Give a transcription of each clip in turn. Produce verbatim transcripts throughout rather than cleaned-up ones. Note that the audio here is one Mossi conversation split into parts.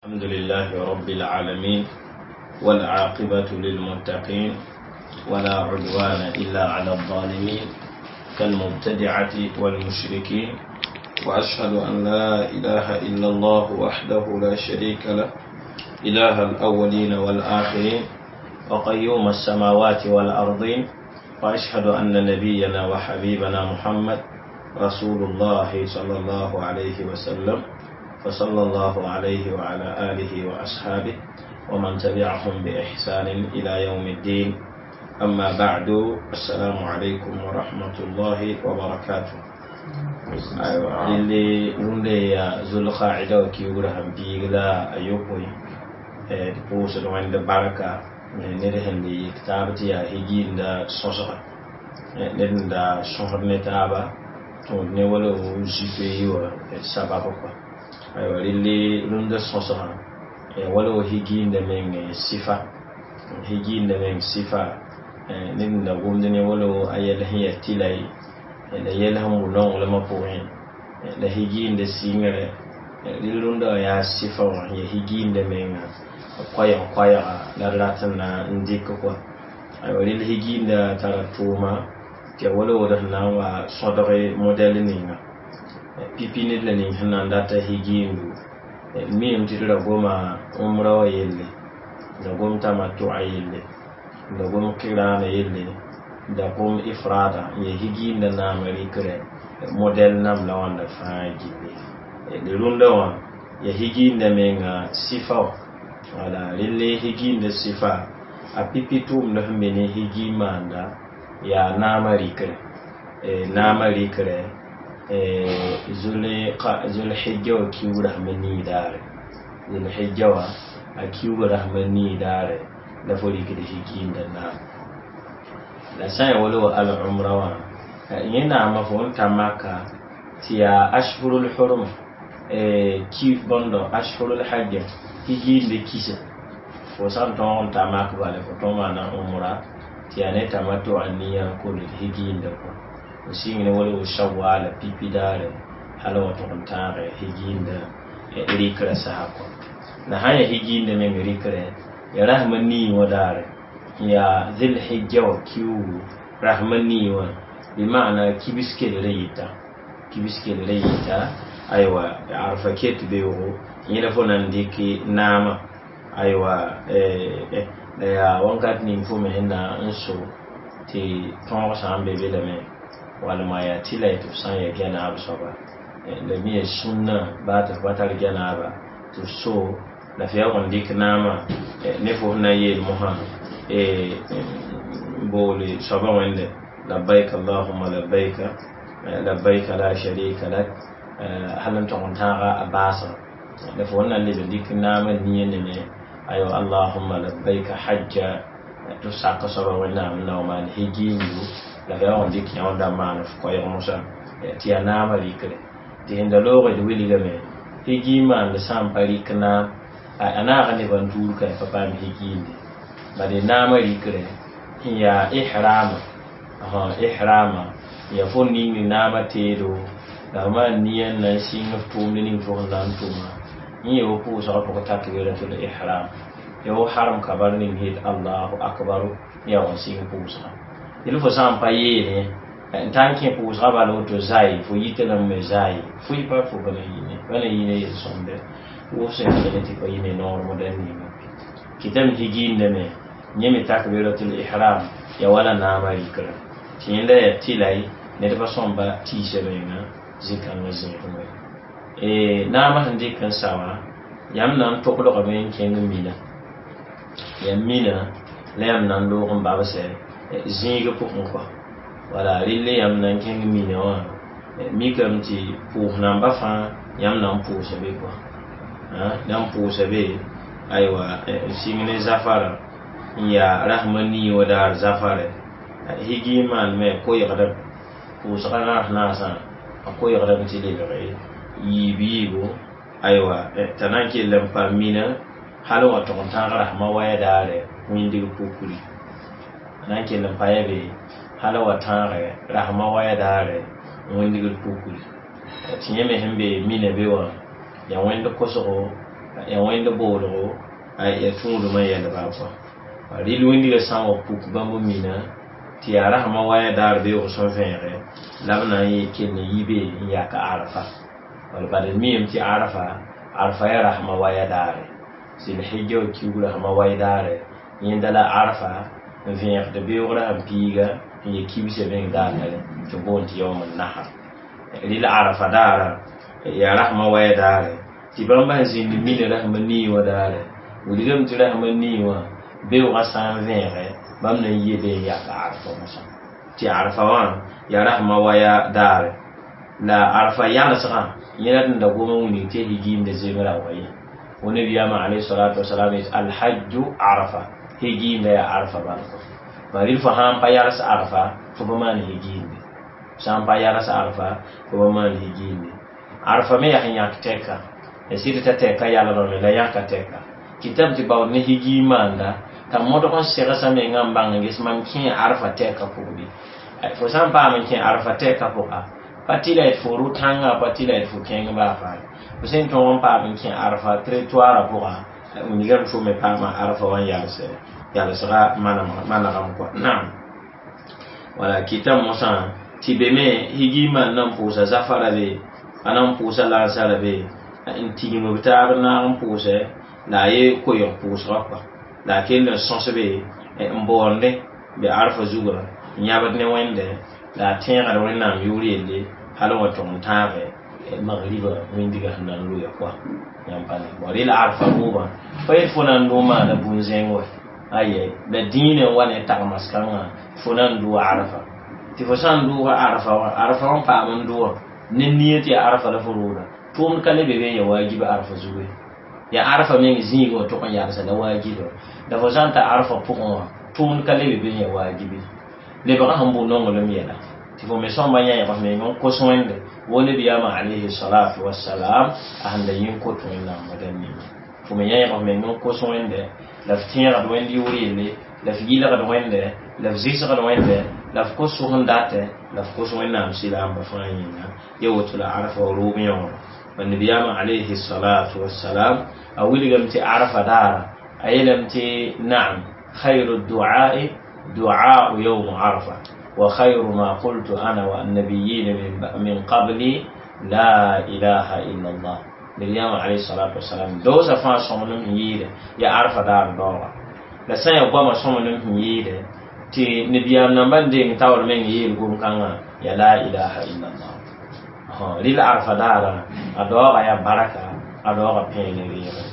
الحمد لله رب العالمين والعاقبة للمتقين ولا عدوان إلا على الظالمين كالمبتدعة والمشركين وأشهد أن لا إله إلا الله وحده لا شريك له إله الأولين والآخرين وقيوم السماوات والأرضين وأشهد أن نبينا وحبيبنا محمد رسول الله صلى الله عليه وسلم فصلى الله عليه وعلى آله وأصحابه ومن تبعهم بإحسان إلى يوم الدين. أما بعد، السلام عليكم ورحمة الله وبركاته. أيوة، اللي رunde ya zulqa'ida wa kiwra ham bigla ayokoy e pʋʋsd wẽnd barka ned sẽn le yik taab tɩ yaa higiinda sõsga ned n da sõsd ne taaba tõod ne wala zupe wã sabab kɔa. Aywa, relle rũndã sõsgã wala wa higiinda meng sɩfa, higiinda meng sɩfa ned n da gomd ne wala a yɛl sẽn yaa tɩla ye la yɛl sẽn wʋ nonglmã pʋgẽ la higiinda sɩngre. Rel rũndã wã yaa sɩfa wã ya higiinda menga koɛɛg koɛɛga la d rat n na n dɩk kɔa. Aywa, rel higiinda tara tʋʋma tɩ ya wala wod sẽn na n wa sõdg modɛl ninga pipi ned la ning sẽn na n data higiindu. Miime tɩ d ra goma umra wã yelle, da gom tamattu'a yelle, da gom qirana yelle, da gom ifrada n ya higiinda naama rɩkrɛ modɛl nam la wãnda fãa gilli. D rũndã wã ya higiinda menga sɩfa wã. Wala relle higiinda sɩfa a pipi tʋʋmd sẽn be ne higi maanda yaa naama rɩkrɛ, naama rɩkrɛ zulhijja wã kiuug rasem nii daare, zulhijja wã a kiuuga rasem nii daare la fo rɩkd higiinda naam. La sã n ya wala wa al umra wã, yẽ naama fo n ta maka tɩ yaa ashhurul hurum ki bõndo ashhurul hajj higiinde kisa fo sã n tõog n ta mak bala fo tõog maana umra tɩ yaa ne tamattu a niya n kol higiinda kɔ fo sɩng ne wala wa shawala pipi daare hal wa tʋg n tãage higiinda rɩkrã saha kɔ. La sã n yaa higiinda meng rɩkrɛ ya rasem nii wã daare yaa zilhijja wã kiuugu rasem nii wã, bɩ maana kibs kellrã yɩta, kibs kellrã yɩta. Aywa, arfa ket beoogo yẽ la fo na n dɩk naama. Aywa, la yaa wãnkat ning fo me sẽn na n so tɩ tõog sã n be be lame walma yaa tɩ la tɩ f sã n ya gɛnaab soaba la me ya sũnna baa tɩ f pa tar gɛnaaba tɩ f so la f yaa n dɩk naama ne fo sẽn na n yeel mosã boole soaba wẽnde labbaik allahumma labbaika labbaika la sharika lak hal n tog n tãaga a baasga la fo na n leb n dɩk naamã nia neme aywa allahumma labbaika hajja tɩ f sak soaba wẽnnaam n na wa maan higiindu la f yaa n dɩk yõ da maan f koɛɛg mosã tɩ yaa naamã rɩkre tɩ sẽn da loogd wilgame higi maand sã n pa rɩk naam a naaga nebã n tuur ka pa paam higiinde bad naamã rɩkrɛ sẽn yaa ihrama ihrama ya fo ning naamã teedo la f maan nia n na n sɩng f tʋʋmd ning fo sẽn na n tʋma yẽ ya wo pʋʋsgã pʋgẽ takbiratul ihram ya wo haram kabar ning het allahu akbaru ya wa sɩng pʋʋsgã. Yel fo sã n pa yeene n ta n kẽ pʋʋsgã bala woto zai fo yita lame me zai fo y pa fo pa na yĩne pa na yĩne yel-sõmde wʋf sẽn kẽne tɩ pa yĩne noor modɛl ninga kɩtame higiindame yẽ me takbiratul ihram ya wala naamã rɩkrã tɩ yẽnda yaa tɩla ye ned pa sõmba tiisa menga zĩ-kãngã zẽegme. Naamã sẽn dɩk n sa wã yãmb na n toglgame n kẽng mina yaa mina la yãmb na n loog n babsɛ zĩig pʋgẽ kɔa. Wala relle yãmb na n kẽng mina wã mikame tɩ pʋʋs namba fãa yãmb na n pʋʋsa be kɔa na n pʋʋsa be. Aywa, n sɩng ne zafara n yaa rasem nii wã daar zafarɛ higi maan me koɛɛgdame pʋʋsgã naas naasã a koɛɛgdame tɩ lebge yiib yiibo. Aywa, t'a na n kell n pa mina hal n wa tʋg n tãag rasmã waya daare wĩndg pukri a na n kell n pa ya be hal n wa tãage rasmã waya daare wĩndgr pukri tɩ yẽ me sẽn be mina be wã yaa wẽnd kosgo Ya wẽnd boolgo ya tũudmã yɛlba kɔa rɩl wĩndgã sã n wa puk bãmb mina tɩ yaa rasmã waya daar beoog sẽn vẽege la b na n kell n yi be n yak arafa wala bad d miime tɩ arafa arafa yaa rasmã waya daare zilhijja wa kiug rasmã way daare yẽnda la arafa n vẽegd beoogrã sẽn piiga n ye kibsã meng daatare tɩ boond tɩ yaoom nahar rɩl arafa daara yaa rasmã waya daare tɩ bãmb sẽn zĩnd mina rasmã nii wã daare wilgame tɩ rasmã nii wã beoogã sã n vẽege bãmb na n yie be n yak arafa mosã tɩ arafa wã yaa rasmã waya daare la arafa yalsgã yẽla d n da goma wilg tɩ higiimda zem raoogã ye wa nabiyaamã alayhi salatu wasalam yet alhajju arafa higiimda yaa arafa bal kɔ bari fo sãn pa yals arafa fo pa maan higiimde sã n pa yals arafa fo pa maan higiimde arafa me yaa sẽn yãk tɛka ya sɩd t'a tɛka yalgame la yãka tɛka kɩtame tɩ baood ne higiim maanda t'a modg n segsã mengã n bãng n ges mam kẽ arafa tɛka pʋgbe fo sã n paam n kẽ arafa tɛka pʋga pa tɩ la d fo rʋ-tãngã pa tɩ la d fo kẽng baa faa fo sẽn tõog n paam n kẽ arafa territoire pʋga wilgame fo me paama arafa wã n yals yalsga manegem kɔa naam wala kɩtame mosã tɩ be me higiim maan na n pʋʋsa zafara be a na n pʋʋsa lansara be n tigim b taab naag n pʋʋsɛ la a ye koɛɛg pʋʋsgã kɔa la a kell n sõs be n boonde be arafa zugã n yãbd ne wẽnde la a tẽegd wẽnnaam yʋʋr yelle hal n wa tʋg n tãage magriba wĩndiga sẽn na n loya kɔa yãmb pa ne bõ rɩla arafa rʋʋbã pa yet fo na n dʋ maana bũn-zẽng wɛ aye la dĩinã n wa ne tagmas-kãngã fo na n dʋ arafa tɩ fo sã n dʋʋga arafa wã arafa wã n paam n dʋwã ne nia tɩ yaa arafa la fo rooda tʋʋmd ka le be be n ya waajiba arafa zugu ye ya arafa meng zĩigã wã tʋg n yalsa la waajiba la fo sã n ta arafa pʋgẽ wã tʋʋmd ka le be be n ya waajibe lebgã sẽn bʋ nonglem yɛla tɩ fo me sõmba yãeg f meng n kos wẽnde wo nabiyaamã alayhi salatu wasalam a sẽn da yẽ n kot wẽnnaam wã ninga fo me yãeg f meng n kos wẽnde la f tẽegd wẽnd yʋʋr yelle la f yɩlgd wẽnde la f zɩsgd wẽnde la f kos sʋg n datɛ la f kos wẽnnaam sɩlaamba fãa yĩnga ya woto la arafa rʋʋb yõora nabiyaamã alayhi salatu wasalam a wilgame tɩ arafa daara a yeelame tɩ naam khayru du'a'i du'a'u yawm arafa wa khayru ma qultu ana wa annabiyin min, min qabli la ilaha illa allah nabiyaamã alayhi salatu wasalam doosa fãa sõmblem sẽn yɩɩdɛ ya arafa daar daooga la sã n yaa goamã sõmblem sẽn yɩɩdɛ tɩ nabiyaam nambã n deng taoor meng yeel gom-kãngã ya la ilaha illa allah rɩl arafa daara a daooga yaa baraka a daooga pẽen reegre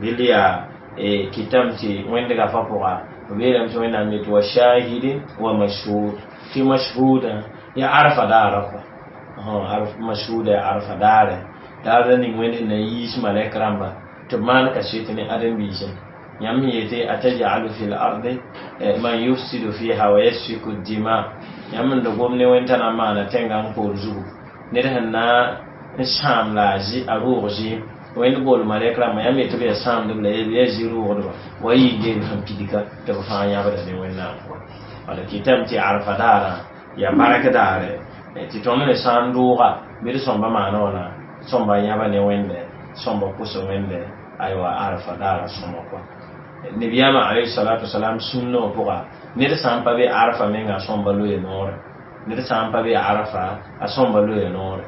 rɩl yaa kɩtame tɩ wẽndga fa pʋga b yeelame tɩ wẽnnaam yetɩ wa shahidin wa mashhud tɩ mashhuda yaa arafa daara kɔa mashhuda yaa arafa daare daar la ning wẽnd sẽn na n yiis malɛk rãmba tɩ b maan kaset ne ãdem-biisẽ yãmb sẽn yetɩ atajalu fi l ardi man yufsidu fiha wa yasfiku dima yãmb n da gom ne wẽnd t'a na n maana tẽngã n koor zugu ned sẽn na n sãam la a rʋʋg zɩɩm wẽnd bool malɛk rãmba yãmb yetɩ b yaa sãamdb la yaa zĩ-rʋʋgdba wa yɩ sẽn pidga tɩ b fãa yãbda ne wẽnnaam pʋga wala kɩtame tɩ arafa daara yaa bark daare tɩ tõnd me sã n dʋʋga bɩ d sõmba maana wãna sõmba yãba ne wẽnde sõmba pʋs wẽnde aywa arafa daara sõma kɔa nabiyaamã alayhi salatu wasalam sũnnã wã pʋga ned sã n pa be arafa menga a sõmba loe noore ned sã n pa be arafa a sõmba loe noore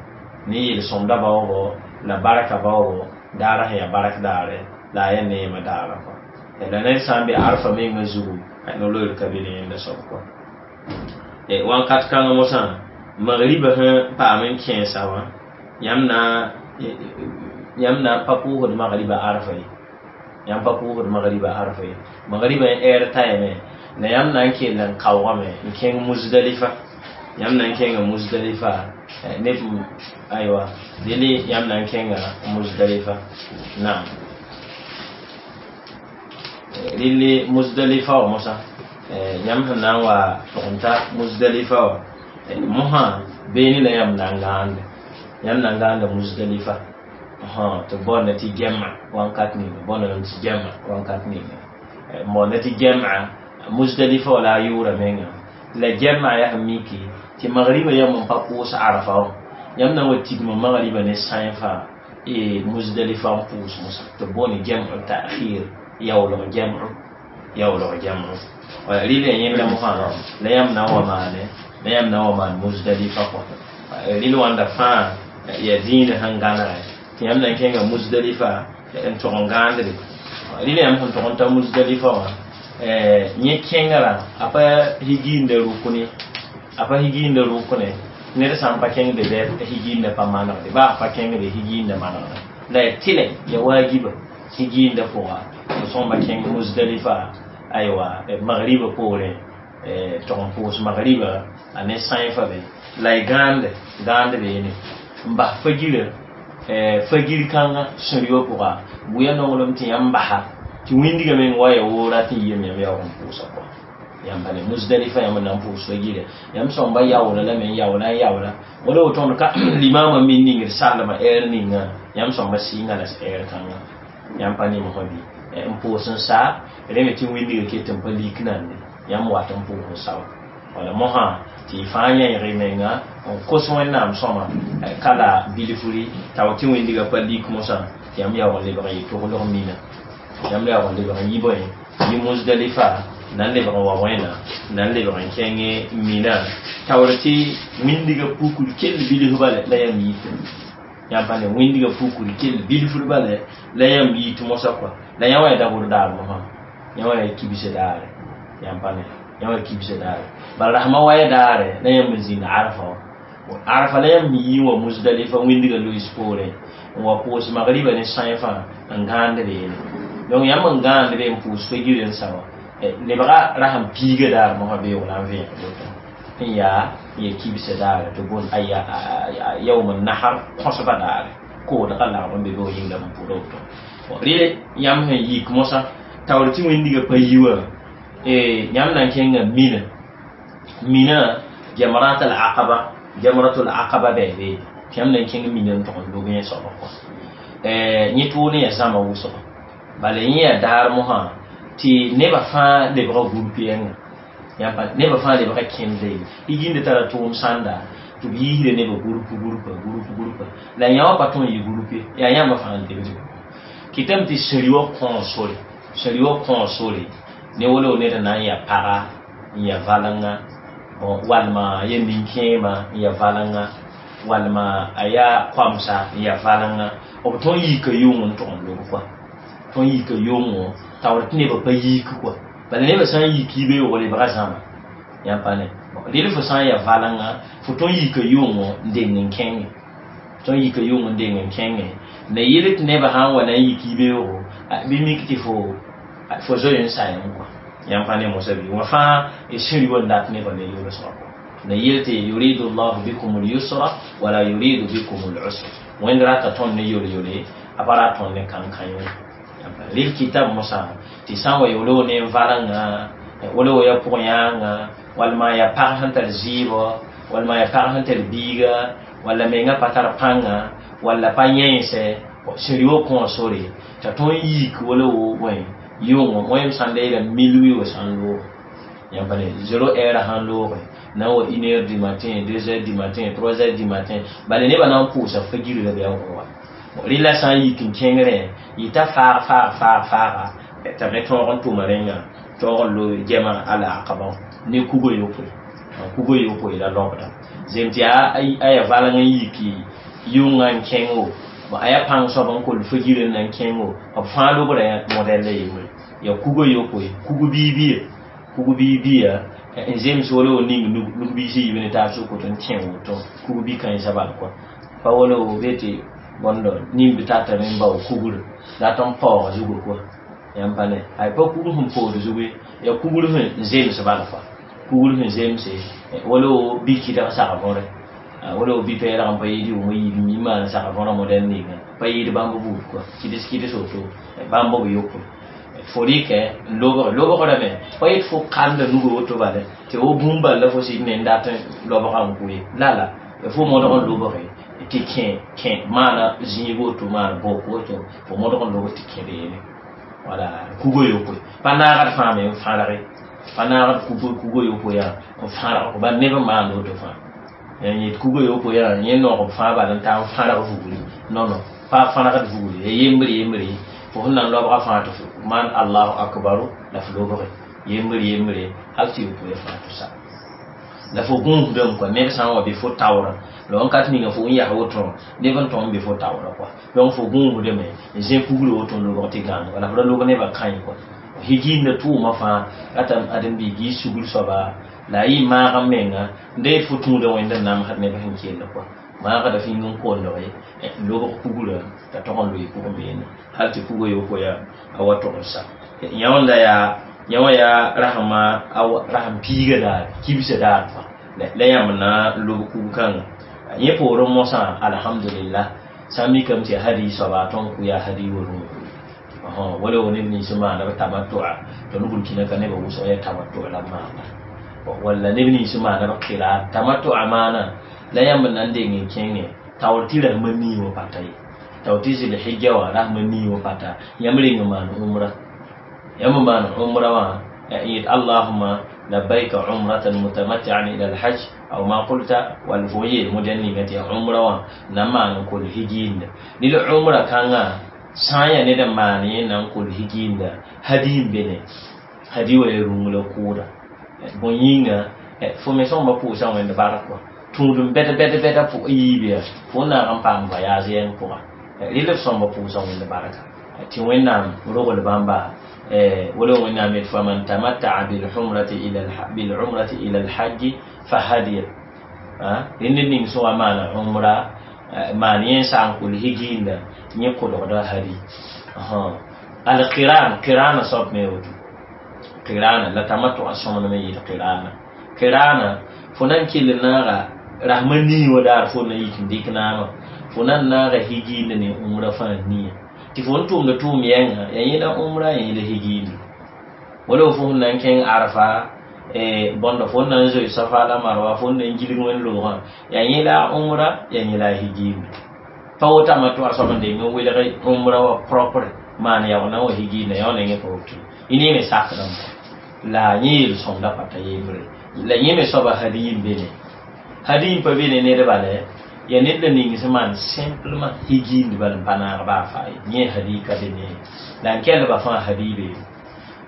ne yel-sõmda baoogo la barka baoogo daara sẽn yaa bark daare la a yaa neemã daara kɔa la ned sã n be arafa mengã zugu no-loeer ka be ne yẽnda soab kɔa wãnkat kãngã mosã magriba sẽn paam n kẽesa wã yãmb na yãmb na n pa pʋʋsd magriba arafa ye yãmb pa pʋʋsd magriba arafa ye magriba n ɛɛr tayame la yãmb na n kell n kaoogame n kẽng musdalifa yãmb na n kẽnga musdalifa neb aywa dele yãmb na n kẽnga musdalifa naam rɩle musdalifa wã mosã yãmb sẽn na n wa tʋg n ta musdalifa wã mosã beene la yãmb na n gãande yãmb na n gãanda musdalifa tɩ b baoonda tɩ gɛma wãnkat ninga baoonda tɩ gɛma wãnkat ninga n baoonda tɩ gɛma musdalifa wã la a yʋʋra menga la gɛma yaa sẽn miki tɩ magriba yãmb n pa pʋʋs arafa wã yãmb na n wa tigma magriba ne sãen fãa Muzdalifa n pʋʋs mosã tɩ b boond jam'u ta'khir yaoolg jam'u yaoolg jam'u rɩla yẽnda mosã la yãmb na n wa maane la yãmb na n wa maan Muzdalifa kɔ rɩl wãnda fãa yaa dĩinã sẽn gãnegɛ tɩ yãmb na n kẽnga Muzdalifa n tog n gãandre rɩla yãmb sẽn tog n ta Muzdalifa wã yẽ kẽngrã a pa higiinda rʋkne a pa higiinda rʋkne ned sã n pa kẽngde bɩ higiinda pa manegde baa pa kẽngde higiinda manegda la ya tɩlɛ ya waagiba higiinda pʋga f sõmba kẽng Muzdalifa aywa magriba poorẽ tog n pʋʋs magriba a ne sãenfa be la y gãande gãande beene n bas fagirã fagir kãngã sũ-rɩwã pʋga bʋya nonglem tɩ yãmb basa tɩ wĩndgã meng wa ya woo rat n yem yãmb yaoog n pʋʋsa kɔa yãmb ne Muzdalifa yãmb na n pʋʋs fagirã yãmb sõmba yaoola lame n yaoola n yaoola wala woto tõnd ka limamã min ningd sallmã ɛɛr ninga yãmb sõmba sɩnga la ɛɛr kãngã yãmb pa nemsã bɩ n pʋʋs n saa rẽ me tɩ wĩndgã ket n pa lik nande yãmb wat n pʋʋs n sawa wala mosã tɩ y fãa yẽeg y menga n kos wẽnnaam sõma ka la bilfri t'a wa tɩ wĩndgã pa lik mosã tɩ yãmb yaoog n lebg n yɩ toglg mina yãmb yaoog n lebg n yi bõe yi Muzdalifa na n lebg n wa wẽna na n lebg n kẽng mina taoor tɩ wĩndgã pukr kell bilf bala la yãmb yit yãmb pa ne wĩndgã pukr kell bilfr bala la yãmb yit mosã kɔa la yã wa ya dabʋr daar mosã yã wa ya kibs daare yãmb pa ne yã wa kibs daare bala rasmã wa ya daare la yãmb n zĩnd arfa wã arfa la yãmb yii wa Muzdalifa wĩndgã loees poorẽ n wa pʋʋs magriba ne sãenfã n gãand beene donc yãmb n gãand be n pʋʋs fagir n sa wã lebga rasem piiga daar mosã beoog la n vẽeg woto n yaa n ya kibsa daare tɩ boond yaoom nahar kõsba daare koodga lagb n be be yĩnga n pʋʋda woto rɩle yãmb sẽn yik mosã taoor tɩ wĩndgã pa yi wã yãmb na n kẽnga mina mina jamrat al aqaba jamratul aqaba bɩ be tɩ yãmb na n kẽng mina n tog n log yẽ soaba kɔ yẽ tʋʋd n yaa zãma wʋsgo bala yẽ yaa daar mosã tɩ nebã fãa lebga gũrp yɛnga nebã fãa lebga kẽnda ye higiinda tara tʋʋm sãnda tɩ b yiisda nebã gũrp gũrpa gũrp gũrpa la yã wã pa tõe n yɩ gũrp ye yaa yãmbã fãa n lebd kɩtame tɩ sũ-rɩ wã kõo sore sũ-rɩ wã kõo sore ne wolo ned na n yaa paga n yaa valenga walma ya nin-kẽema n yaa valenga walma a yaa koamsa n yaa valenga b tõe n yika yʋng n tʋg n lob kɔa tõe n yika yʋngo taoor tɩ nebã pa yik kɔa bala nebã sã n yik yibeoog lebga zãma yãmb pa ne rel fo sã n yaa valenga fo tõe n yika yʋngo n deng n kẽnge tõe n yika yʋng n deng n kẽnge la yel tɩ nebã sã n wa na n yik yibeoogo bɩ mik tɩ fo fo zoe n sa yãmb kɔa yãmb pa ne mosã bɩ wã fãa sũ-rɩ wa n dat nebã ne yolsgã kɔa la yel tɩ yuridu llahu bikum lyusra wala yuridu bikum lusra wẽnd rata tõnd ne yol-yole a pa rat tõnd ne kãn-kã-yõ rel kitab mosã tɩ sã n wa wolo ne n valenga wala ya pʋg yãanga walma ya pag sẽn tar zɩɩbɔ walma ya pag sẽn tar biiga walla menga pa tar pãnga walla pa yẽnsɛ sũ-rɩ wã kõo sore t'a tõe n yik wala wo bõe yʋngo wẽm sãn da yeela milwi wa sã n loog yãmb pa ne zéro heure sãn looge na n wa une heure du matin deux heures du matin trois heures du matin bala nebã na n pʋʋsa fagir la bɩ a wa rɩla sã n yik n kẽngrẽ yɩta faag faag faag faaga t'a me tõog n tʋma rẽnga tõog n loe gɛma ala aqaba ne kugo yopoe kugo yopoe la lobda zem tɩ a ya valeng n yiki yʋngã n kẽngo a yaa pãng soab n kol fagir n na n kẽngo b fãa lobra modɛl la yembre ya kugo yopoe kugu biibia kugu biibia n zems wala wo ning nug biisã yiib ne taab sʋk woto n kẽ woto kugu bi-kãensã bal kɔa pa wala wo be tɩ bõndo nimb tatame n bao kugr dat n paoog zugu kɔa yãmb pa ne ay pa kugr sẽn pood zugu ye ya kugr sẽn zems bal kɔa kugr sẽn zemse wala wo bi-kɩdg sag võre wala wo bi-pɛɛlg n pa yɩɩd yʋʋm yiib mi maan sag võrã modɛl ninga pa yɩɩd bãmb buud kɔa kɩds kɩds woto bãmb b yopoe fo rɩkɛ n lobg lobgrame pa yet fo kanda nugu woto bala tɩ wo bũmb bal la fo sɩd ne n dat n lobga n kʋ ye la la fo modg n lobge tɩ kẽ kẽ maana zĩig woto maan bok woto fo modg n lobg tɩ kẽ beene wala kugo yopoe pa naagd fãa me n fãrge pa naagd kugo kugo yopoe yaa n fãrg bal neb n maand woto fãa yet kugo yopoe yaa yẽ noog b fãa bal n taa n fãrg vugri non non Pa fãnagd vugre ya yembre yembre fo sẽn na n loabga fãa tɩ maan allahu akbaru la f lobge yembre yembre hal tɩ yopoe fãa tɩ sa la fo gũusdame kɔa ned sã n wa bɩ fo taoora la n ka tɩ ninga fo n yaa woto neb n tõm bɩ fo taoora kɔa donc fo gũusdame n zẽ kugre woto n lobg tɩ gãanega la f ra lobg nebã kãe kɔa higiinda tʋʋmã fãa ratame ãdem-biig yɩ sugr soaba la a yɩ maag n menga n deed fo tũuda wẽnd n namsd neb sẽn kell kɔa maagda f yĩng n kondge lobg kugrã t'a tog n loe pʋgẽ beene hal tɩ kuga yopoe a wa tog n sa yã wãnda yaa yã wã yaa rasẽma rasem piiga daar kibsa daar kɔa la yãmb na n lob kug kãnga yẽ poorẽ mosã alhamdulillah sã n mikame tɩ yaa hadi soaba a tõnd kʋ yaa hadi worẽ wala wo neb nins maana b tamattua tõnd burkina ka nebã wʋsg yaa tamattu la b maana walla neb nins maana b qira tamattua maana la yãmb na n deng n kẽngẽ taoor tɩ rasmã nii wã pata ye taoor tɩ zilhijja wã rasmã nii wã pata yãmb reng n maan umra yãmb maan umra wã n yet allahuma labbaika umratan mutamattian ila alhajj aw ma qulta wall fo yeel modɛn ninga tɩ yaa umra wã na n maan n kol higiinda rɩl umra kãngã sã n yaa ned n maan yẽ na n kol higiinda hadi n be ne hadi wa ya rũng la kʋʋda bõe yĩnga fo me sõmba pʋʋsã wẽnd bark wã tũud n bɛd bɛd bɛda pʋg yiibe fo n naag n paam voyage yɛng pʋga rɩl f sõmba pʋʋsã wẽnd barka tɩ wẽnnaam rogl bãmba wala wẽnnaam yet faman tamatta'a bilumrati ila bilumrati ila alhajji fa hadiya rẽnd ned ning sẽn wa maana umra maan yẽ sã n kol higiinda yẽ kolgda hadi alqiran qirana soab me woto qirana la tamattu a sõmdme yɩɩd qirana qirana fo na n kell naaga rasmã nii wã daar fo na yik n dɩk naamã fo na n naaga higiinda ne umra fãa nia tɩ fo n tʋmda tʋʋm yɛnga yaa yẽla umra ya yẽla higiinda wala fo sẽn na n kẽng arfa bõnda fo n na n zoe safa la marwa fo n na n gilg wẽn loogã yaa yẽla umra yaa yẽla higiinda pa woto a tʋa soab n deng n welg umra wã propre maan yaoog na n wa higiinda yã wã nengẽ pa woto y ne me sakdame la yẽ yel-sõmda pata yembre la yẽ me soaba hadi n be ne hadi n pa be ne nedba lɛ yaa ned la ning sẽn maan simplement higiindi bal n pa naag baa faa ye yẽ hadi ka be ne la n kɛlba fãa hadi be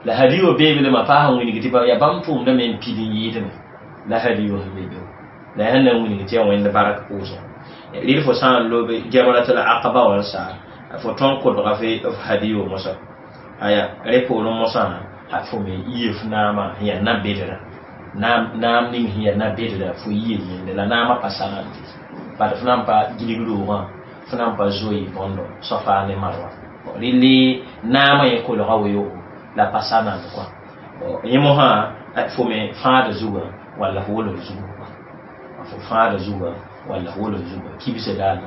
la hadi wa beebe lema pa sẽn wilg tɩ yaa bãmb tʋʋmda me n pid n yɩɩdme la hadi wa sẽn be be la yaa sẽn na n wilg tɩ yaa wẽnd bark pʋʋsẽ rɩl fo sã n lobe jamratul aqaba wã n saa fo tõn kolga f hadi wa mosã aya rẽ poorẽ mosã fo me yie f naamã sẽn yaa na-bedra naam ning sẽn yaa na-bedra fo yie yẽnde la naamã pa sagande bad f na n pa gilg roogã f na n pa zoe bõndo safa ne marwa rɩle naamã yẽ kolga weoogo la pa sanand kɔa yẽ mosã fo me fãada zugã walla f wolg zugu fo fãada zugã walla f wolg zugã kibsa daar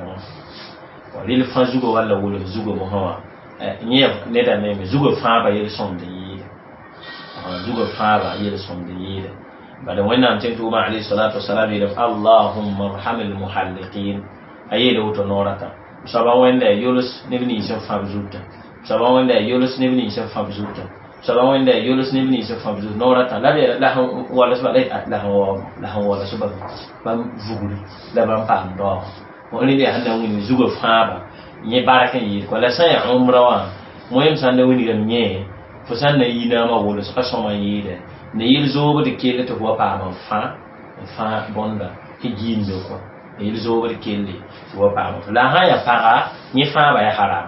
wã rɩl fã zugã walla wolg zugã mosã wã yẽ neda meme zugã fãaba yel-sõmd n yɩɩda zugã fãaba yel-sõmd n yɩɩda bala wẽnnaam tɩ tʋʋmã alayhi salatu wasalam yeelame allahumma rham almuhalliqin a yeela woto noorã tã soaba wẽnda yols neb nins n fãb zutã soaba wẽnda yols neb nins n fãb zutã soaba wẽnda yols neb nins n fãb zut noorã tã la b la sẽn walsba la sẽn walsba bãmb vugri la bãmb paam daoog rẽnd yaa sẽn na n wilg zugã fãaba yẽ bark n yɩɩd kɔa la sã n yaa umra wã moyem sã n na wilgame yẽ fo sã n na yi naamã wolsga sõma n yɩɩdɛ ne yel zoobd kell tɩ fo wa paam n fã n fã bõnda higiindo kɔa ne yel zoobd kelle tɩ wa paam la sã n yaa paga yẽ fãaba yaa haram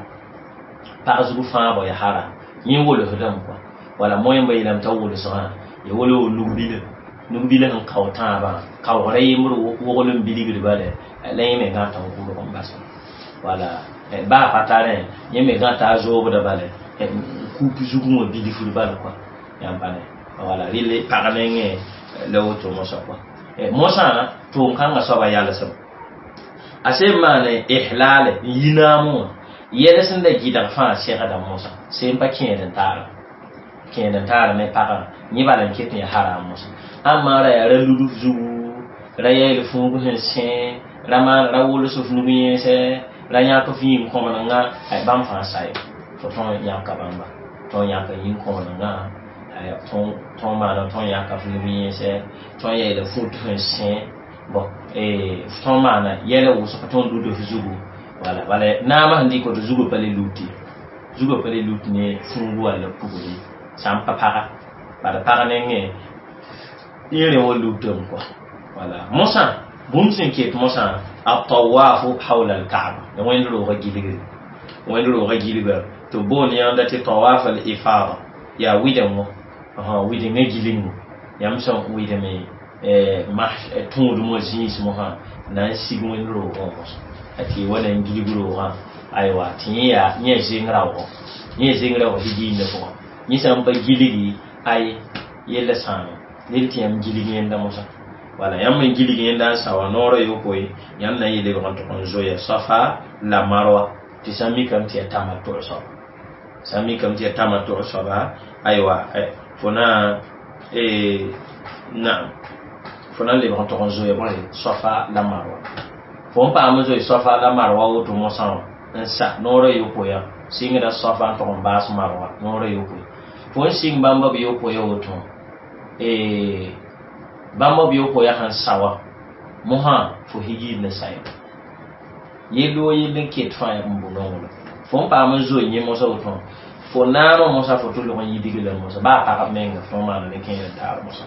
pag zug fãaba yaa haram yẽ wolsdame kɔa wala moẽmba yeelame t'a wolsgã ya wala wo nug-bila nug-bila sẽn kao tãabã kaoogra yembr wogl n bilgd bala la yẽ me gãta n kʋlg n bas wala baa pa tarẽ yẽ me gãta a zoobda bala kup zugẽ wã bilfd bala kɔa yãmb pa ne wala rɩl pag nengẽ la woto mosã kɔa mosã tʋʋm-kãngã soaba yalsem a sẽn maan ihlaale n yi naam wã yɛls n la gɩdg fãa segda mosã sẽn pa kẽed n taara kẽed n taara ne pagã yẽ bala n ket n yaa haram mosã ãmma ra yaa ra ludf zugu ra yɛɛl fũug sẽn sẽ ra maan ra wols f nug yẽnsɛ ra yãk f yĩng kõmnengã bãmb fãa sa ye fo tõn yãka bãmba tõn yãka yĩng kõmnengã tõn maana tõn yãka f nug yẽnsɛ tõn yɛɛla fut sẽn sẽ bɔn tõn maana yɛla wʋsg tõn lud f zugu Wala bala naamã sẽn dɩk woto zugã pa le lut ye, zugã pa le lut ne fũugu walla pugri sã n pa paga bala pag nengẽ yẽ rẽ wa lutame kɔa. Wala mosã bũmb sẽn ket mosã atawafu hawla alkaaba ya wẽnd roogã gilgre, wẽnd roogã gilga tɩ b boond yãmda tɩ tawaf al ifada yaa wɩdem wã, wɩdengã gilgmo yãmb sẽn wɩdme tũudem wã zĩis mosã na n sig wẽnd roogã wã mosã tɩ y wa na n gilg roogã aywa tɩ yẽ yaa yẽ zeng raoogɔ, yẽ zeng raoog higiindã pʋgã yẽ sã n pa gilgi ay yella sãame rel tɩ yãmb gilg yẽnda mosã. Wala yãmb n gilg yẽnda n sa wã noorã yopoe yãmb na n yɩ lebg n tʋg n zoya Safa la Marwa tɩ sã n mikame tɩ yaa tamatʋ soaba, sã n mikame tɩ yaa tamatʋ soaba aywa fo na naam fo na n lebg n tʋg n zoya bõe Safa la Marwa fo n paam n zoe Safa la Marwa woto mosã wã n sa noorã yopoe sɩngda Safa n tʋg n baas Marwa noorã yopoe fo n sɩng bãmba b yopoe woto bãmba b yopoe sẽn sa wã mosã fo higiid ne sa yell wo yell n ket fãa n bʋ nonglem fo n paam n zoe yẽ mosã woto fo naamã mosã fo tʋlg n yidg la mosã baa pagb menga fo maana ne kẽer n taar mosã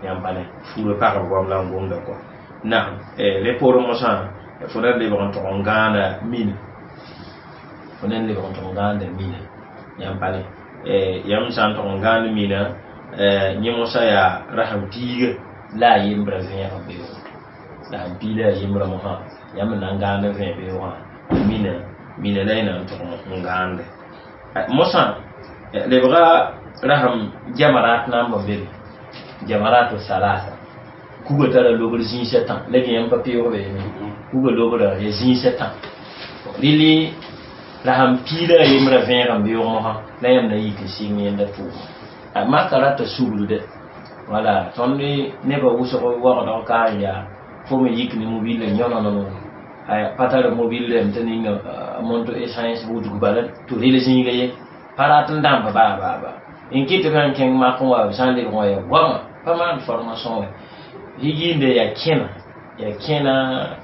yãmb pa ne fuurã pagb goam la n gomda kɔa naam rẽ poorẽ mosã fo na n lebg n tʋg n gãana mina, fo na n lebg n tʋg n gãanda mina yãmb pa ne yãmb sã n tʋg n gãand mina yẽ mosã yaa rasem piiga la a yembrã vẽeg n beoog la sẽn pii la a yembrã mosã yãmb n na n gãand n vẽ beoogã mina mina la y na n tʋg n gãande mosã lebga rasem jamarat na n b be jamaratu salasa kuga tara lobr zĩisã tã la yãmb pa peoog be kuga lobrã ya zĩisã tã rɩlɩ la sãn pii la a yembrã vẽeg n beoog mosã la yãmb na yik n sɩng yẽnda tʋʋma maka rata suglude wala tõnd nebã wʋsg waoogdg ka n yaa fo me yik ne mobil la yõnonono pa tar mobil rem tɩ ninga monto essence wudg bala tɩ rel zĩiga ye pa rat n dãmb baa baa baa n kɩt tɩ b sãn kẽng mak n wa b sã n lebg wã ya goama pa maan formation wɛ higiinde yaa kẽna yaa kẽna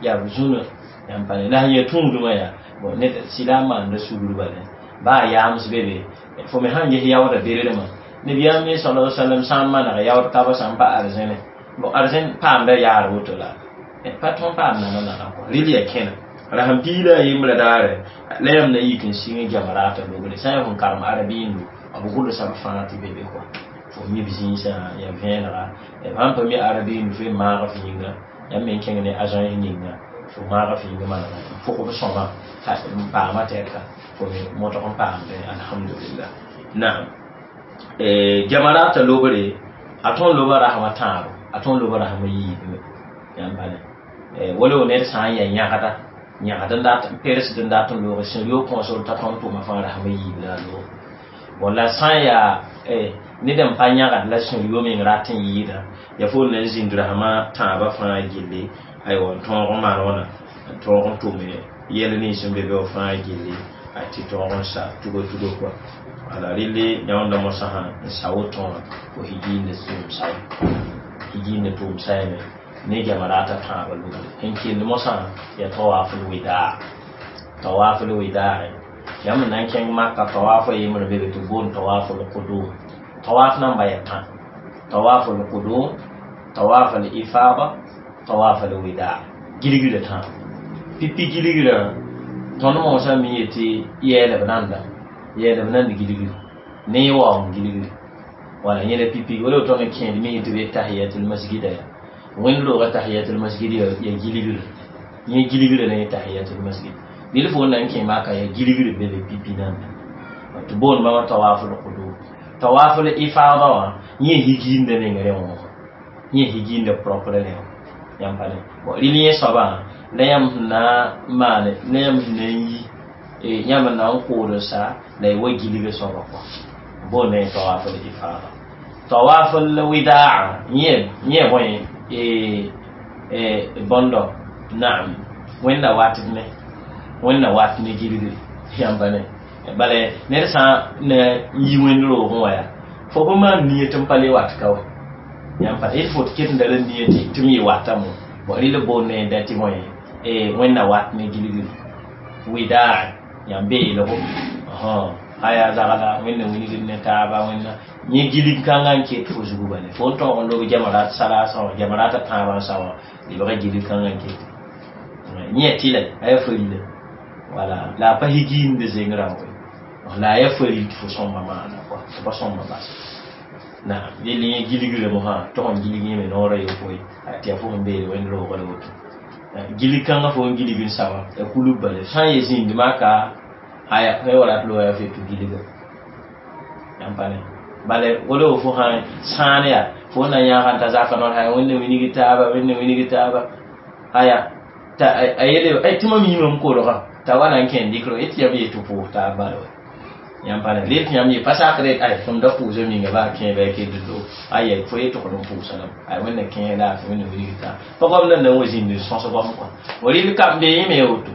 yaa b zũnã yãmb pa ne la sẽn yaa tũudmã yaa bon ned sɩda n maanda sugr bala baa yaams be be fo me sãn ges yaooda berermã nabiyaam me sala sallam sã n maneg yaood kaba sã n pa arzẽne bon arzẽn paamda yaar woto la pa tõn paam nana nana kɔ rɩl ya kẽna ra sẽn pii la a yembrã daare la yãmb na yik n sɩng jamarata logre sã n yaa fõn karem arabiindo b gʋlsa b fãa tɩ be be kɔa fo mi b zĩisã ya vẽenega sãn pa mi arabiindo fo maag f yĩnga yãmb me n kẽng ne agence ninga fo maag f yĩnga manega n pʋg b sõma n paama tɛka fo me motg n paamde alhamdulillah naam jamarata lobre a tõn loba rasmã tãabo a tõn loba rasmã yiib me yãmb pa ne wala ned sã n yaa yãgda yãgd n dat persd n dat n loog sẽn yo kõosr t'a tõnd tʋma fãa rasmã yiib la a loog bon la sã n yaa ned n pa yãgd la sẽn yo meng rat n yɩɩda ya fo na n zĩnd rasmã tãabã fãa gilli aywa n tõog n maan wãna n tõog n tʋme yɛl nins n be be wã fãa gilli a tɩ tõog n sa tugo tugo kɔa ala rɩlli yãonda mosã sã n sa woto wã fo higiinde tʋʋm saye higiinde tʋʋm sayame ne jamarata tãabã lugre n kell mosã ya tawaful widaa tawaful widaa yãmb na n kẽng maka tawafa yembrã be be tɩ boond tawaful qudum tawaf namba ya tã tawaful qudum tawaf al ifada tawaf al widaa gilgrã tã pipi gilgrã tõnd mosã mi yetɩ yɛɛlb nanda yɛɛlb nand gilgri ne waoong gilgri wala yẽla pipi wala tõnd n kẽed mi tɩ be tahiyatul masjida ya wẽnd roogã tahiyatul masjid ya gilgrã yẽ gilgrã la yẽ tahiyatul masjid bil fo na n kẽ maka ya gilgr be be pipi nanda tɩ boond bãmba tawaful qudum tawaful ifada wã yẽ higiinda meng rẽ wã yẽ higiinda propre rẽ wã yãmb pa ne bon rɩl yẽ soabã la yãmb sẽn na n maane la yãmb sẽn na n yi yãmb n na n kood n sa la y wa gilga soaba kɔa boond yẽ tawaful ifada tawaful widaa yẽ yẽ bõe bõndo naam wẽnna wat ne wẽnna wat ne gilgre yãmb pa ne bala ned sã n na n yi wẽnd roogẽ wã yaa fo pa maan nia tɩ n pa le wat ka wa yãmb pa d fo tɩ ket n da la nia tɩ m yɩ watame bon rɩl boond ne da tɩ bõe wẽnna wat ne gilgre Widaa yãmb beelgo aya zagla wẽnna wilgd ne taaba wẽnna yẽ gilig kãngã n ket fo zugu bale fo n tõog n lob jamarat salasã wã jamarata tãabã n sa wã lebga gilig kãngã n ket yẽ tɩ la a yaa farila wala la a pa higiinde zeng rãmbe la a yaa faril tɩ fo sõmba maana kɔa fo pa sõmba bas naam yell yẽ gilgrã mosã tog n gilg yẽme noorã yopoe tɩ yaa fo sẽn beele wẽnd roogã la woto gilig kãngã fo n gilg n sa wã ya kulub bale sã n ye zĩnd maka aya fo wala tɩ loa fe tɩ gilga yãmb pa ne bale wala fo sã sãan yaa fo na yãag n ta zaka noor aya wẽnna wilg taaba wẽnna wilg taaba aya ta a yele ay tɩ mam yĩme n kolga t'a wa na n kẽ dɩkr tɩ yãmb yetɩ pʋʋs taab bala wa yãmb pa ne rel tɩ yãmb ye pa sakre ay tõnd da pʋʋsa minga baa kẽ bɩ a kell do aya fo ye togd n pʋʋsa lame ay wẽnna kẽ laafɩ wẽnna wilg taab pa goamda na n wa zĩnd n sõs goam kɔa rel kam be yẽme ya woto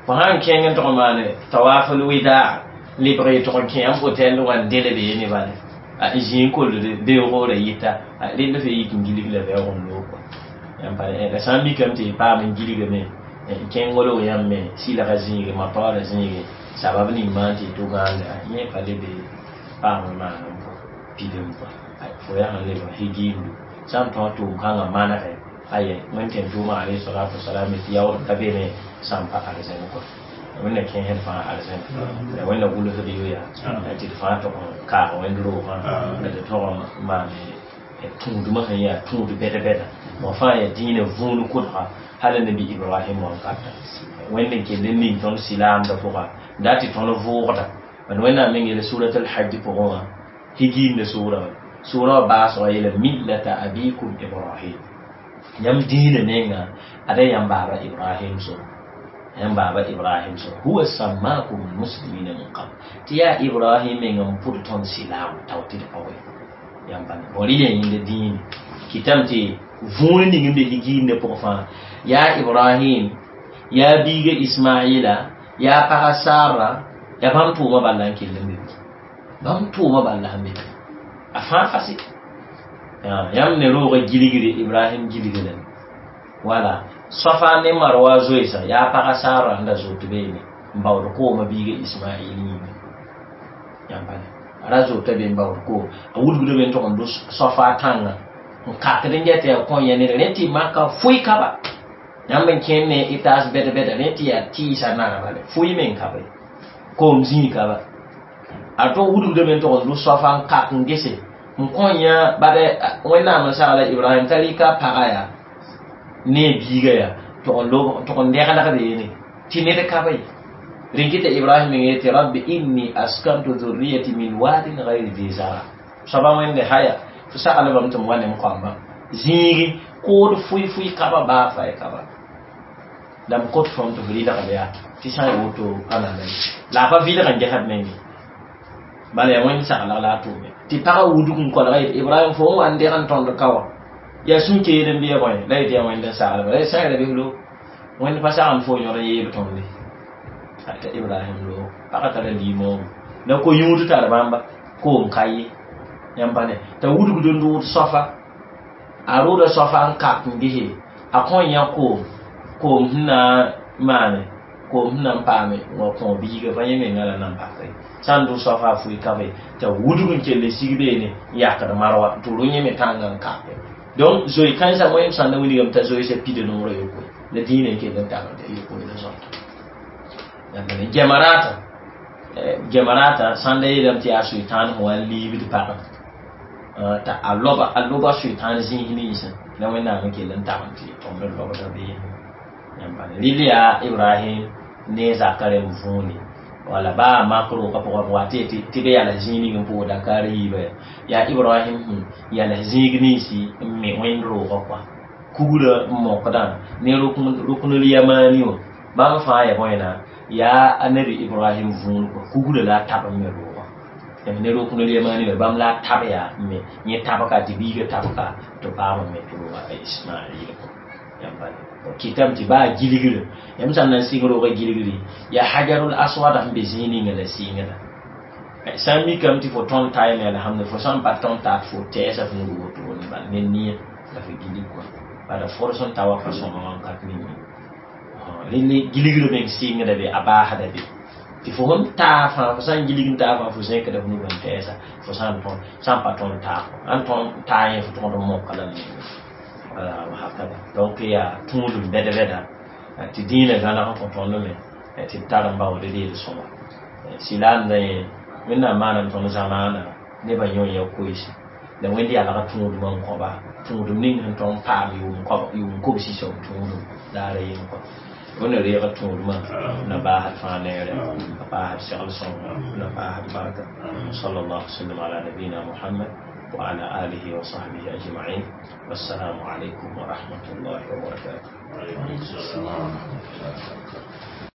fo sãn kẽng n tog n maane tawafl widaa lebg y tog n kẽ yãmb hôtel wã n dele beene bale n zĩ n kold beoogr yɩta rell fe yik n gilg la bɛoog n loog kɔa yãmb pa la sã n mikame tɩ y paam n gilgame kẽng wolg yãmb me sɩlga zĩige mataoora zĩige sabab ning maan tɩ y tʋ gãanda yẽ pa le be paam n maan n pʋ pidem kɔa fo yaa sẽn lebg higiindu sã n tõog tʋʋm kãngã manegɛ aya wẽnd tẽn tʋʋmã alayhi salatu wasalam tɩ yaood ka be ne sã n pa arzẽn kɔa wẽnna kẽesd fãa arzẽn la wẽnna gʋlsd yo yaa tɩ d fãa tog n kaag wẽnd roogã la tɩ tog n maane tũudmã sẽn yaa tũud bɛd-bɛda wã fãa yaa dĩinã vũun kʋdga hal nabi ibrahim wankata wẽnd n kell n ning tõnd silaamdã pʋga da tɩ tõnd vʋʋgda bad wẽnnaam meng yeela surat alhajj pʋgẽ wã higiinda sʋʋra wã sʋʋra wã baasgã yeela millata abikum ibrahim yãmb dĩinã nenga ada yãmb baaba ibrahim so yãmb baaba ibrahim so huwa sammakum almuslimina min qabl tɩ yaa ibrahim meng n pʋd tõnd silaam tao tɩ d pa we yãmb pa bõ rɩ yẽnda dĩine kɩtame tɩ vũun ning n be higiindã pʋgẽ fãa yaa ibrahim yaa biiga ismaila yaa paga sara yaa bãmb tʋʋmã bala n kell n be bãmb tʋʋmã bala sẽn be a fãa fase yãmb ne roogã gilgre ibrahim gilgrã wala sofa ne marwa zoeesa yaa paga sara sẽn da zoot beene n baood koomã biiga ismail yĩnga yãmb pa a ra zoota be n baood koom a wudgda be n tog n dos sofa tãngã n kakd n get yaa kõ yã ned rẽ tɩ maka fʋɩ kaba yãmb n kẽnd ne y taas bɛd-bɛda rẽ tɩ yaa tɩɩsa nara bale fʋɩ me n ka be koom zĩig ka ba a tog wudgda be n tog n dos sofa n kak n gese n kõ yã bad wẽnnaam n sagla ibrahim t'a rɩka paga yaa ne a biiga yaa tog n dɛglg beene tɩ ned ka be rẽn kɩta ibrahim meng yetɩ rabbi inni askantu dhurriyati min wadin gayri di zara soaba wẽnde haya fo saglbame tɩ m wa ne m koamba zĩigi kood fʋɩ-fʋɩ kaba baa fa y kaba la m kot fõm tɩ f rɩlgd yaa tɩ sã n woto ãnana la a pa vɩlg n gesd menge bala yaa wẽnd saglg la a tʋʋme tɩ pagã wudg n kolga yet ibrahim fo n wa n deg n tõnd ka wã yaa sũ-keed n bɩa bõe la yetɩ yaa wẽnd n saglba la sã n ra bɩ lo wẽnd pa sagend fo yõd n yeeb tõnde t'a ibrahim lo pagã tara liimoogo la ko-yũud tar bãmba koom ka ye yãmb pa ne t'a wudgd n rʋʋd sofa a rʋʋda sofa n kak n gese a kõ yã koom koom sẽn na n maane koom sẽn na n paame wa kõ biiga pa yẽ menga la nan paka ye sã n dʋ sofa a fʋɩ ka be t'a wudg n kell n sig beene n yakd marwa tɩ rʋ yẽ me tãngã n kake donc zoe kãensã wẽem sãn na wilgame t'a zoeesã pida noorã yopoe la dĩinã n kell n tagl t'a yopoe la zõta gemarata gemarata sãn da yeelame tɩ yaa sʋɩtãan sẽn wa n liibd pagã t'a a loba a loba sʋɩtãan zĩis ninsã la wẽnnaam n kell n tagl tɩ tõnd n lobda beene yãmb pa rɩl yaa ibrahim ne zaka rẽmb võone wala baa mak roogã pʋgã wa tɩ tɩ be yals zĩig ning n pʋʋg Dakar yiiba ya yaa ibrahim sẽn yals zĩig ninsi n me wẽnd roogã kɔa kugrã n mokdã ne ruknul yamani wã bãmb fãa ya bõena yaa a nabi ibrahim vũun kɔa kugrã la a tab n me roogã ne ruknul yamani wã bãmb la a tab yaa n me yẽ tabka tɩ biiga tabka tɩ paam n me tɩ roogã a ismail kɔa yãmb pa kɩtame tɩ baa gilgrã yãmb sã n na n sɩng roogã gilgri yaa hajarul aswad sẽn be zĩig ninga la sɩngda sã n mikame tɩ fo tõnd tayme alhamdulillah fo sã n pa tõnd taat fo tɛɛsa f nug wotone bal ne nia la fo gilig kɔa bala fod sẽn ta wa pa sõma wãnkat ning Rẽnd gilgr meng sɩngda be, a baasda be tɩ fo sẽn taa fãa, fo sã n gilg n taa fãa, fo zẽkda f nugã n tɛɛsa. Fo sã n tõe, sã n pa tõnd taag, ãn tõnd taa yẽ, fo tõgd n moka la menga, wala hakada. Donc yaa tũudum bɛd bɛda tɩ dĩinã gãneg n kõ tõnd me tɩ d tar n baood deel sõma sɩla n yẽ. Wẽnnaam maanam tõnd zamaana nebã yõ ya koeese la Wẽnd yalga tũudmã n kõba tũudum ning sẽn tõnd paam yʋʋm kobsi soab tũudum daara yem kɔ. Wẽnna reega tũudmã na baasd fãa neere, a paasd segl sõnga, na paasd barka. صلى الله وسلم على نبينا محمد وعلى آله وصحبه أجمعين، والسلام عليكم ورحمة الله وبركاته. وعليكم السلام ورحمة الله وبركاته.